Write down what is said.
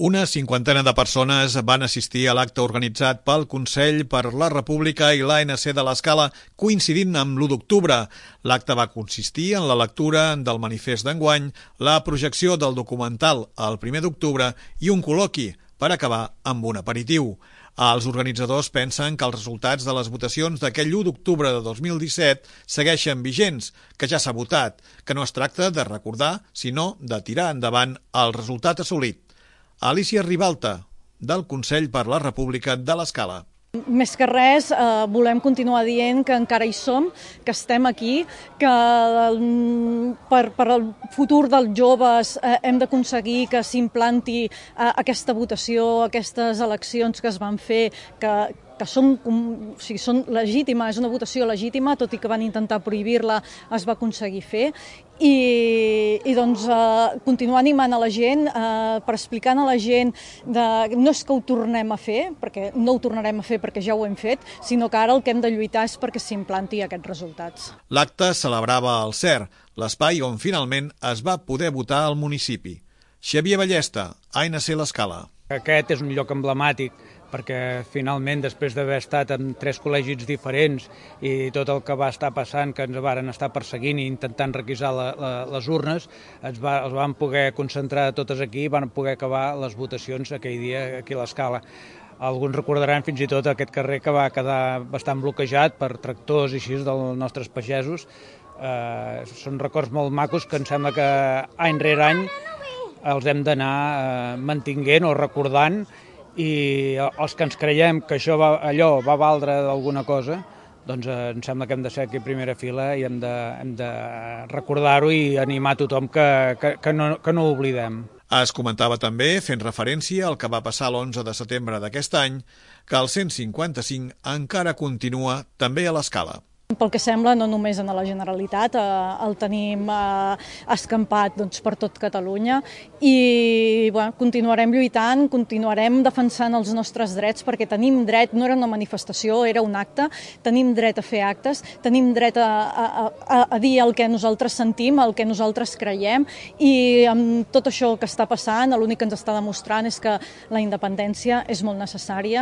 Una cinquantena de persones van assistir a l'acte organitzat pel Consell per la República i l'ANC de l'Escala coincidint amb l'1 d'octubre. L'acte va consistir en la lectura del manifest d'enguany, la projecció del documental el 1 d'octubre i un col·loqui per acabar amb un aperitiu. Els organitzadors pensen que els resultats de les votacions d'aquell 1 d'octubre de 2017 segueixen vigents, que ja s'ha votat, que no es tracta de recordar, sinó de tirar endavant el resultat assolit. Alicia Ribalta, del Consell per la República de l'Escala. Més que res, volem continuar dient que encara hi som, que estem aquí, que per el futur dels joves hem d'aconseguir que s'implanti aquesta votació, aquestes eleccions que es van fer, que són legítimes, és una votació legítima, tot i que van intentar prohibir-la, es va aconseguir fer. I doncs continuar animant a la gent, per explicar a la gent no és que ho tornem a fer, perquè no ho tornarem a fer perquè ja ho hem fet, sinó que ara el que hem de lluitar és perquè s'implanti aquests resultats. L'acte celebrava el CER, l'espai on finalment es va poder votar al municipi. Xavier Ballesta, ANC l'Escala. Aquest és un lloc emblemàtic perquè finalment, després d'haver estat en 3 col·legis diferents i tot el que va estar passant, que ens varen estar perseguint i intentant requisar les urnes, els van poder concentrar totes aquí i van poder acabar les votacions aquell dia aquí a l'Escala. Alguns recordaran fins i tot aquest carrer que va quedar bastant bloquejat per tractors i així dels nostres pagesos. Són records molt macos que em sembla que any rere any els hem d'anar mantinguent o recordant, i els que ens creiem que allò va valdre d'alguna cosa, doncs em sembla que hem de ser aquí a primera fila i hem de recordar-ho i animar tothom que no ho oblidem. Es comentava també, fent referència al que va passar l'11 de setembre d'aquest any, que el 155 encara continua també a l'Escala. Pel que sembla, no només en la Generalitat, el tenim escampat per tot Catalunya i continuarem lluitant, continuarem defensant els nostres drets perquè tenim dret, no era una manifestació, era un acte, tenim dret a fer actes, tenim dret a dir el que nosaltres sentim, el que nosaltres creiem i amb tot això que està passant, l'únic que ens està demostrant és que la independència és molt necessària.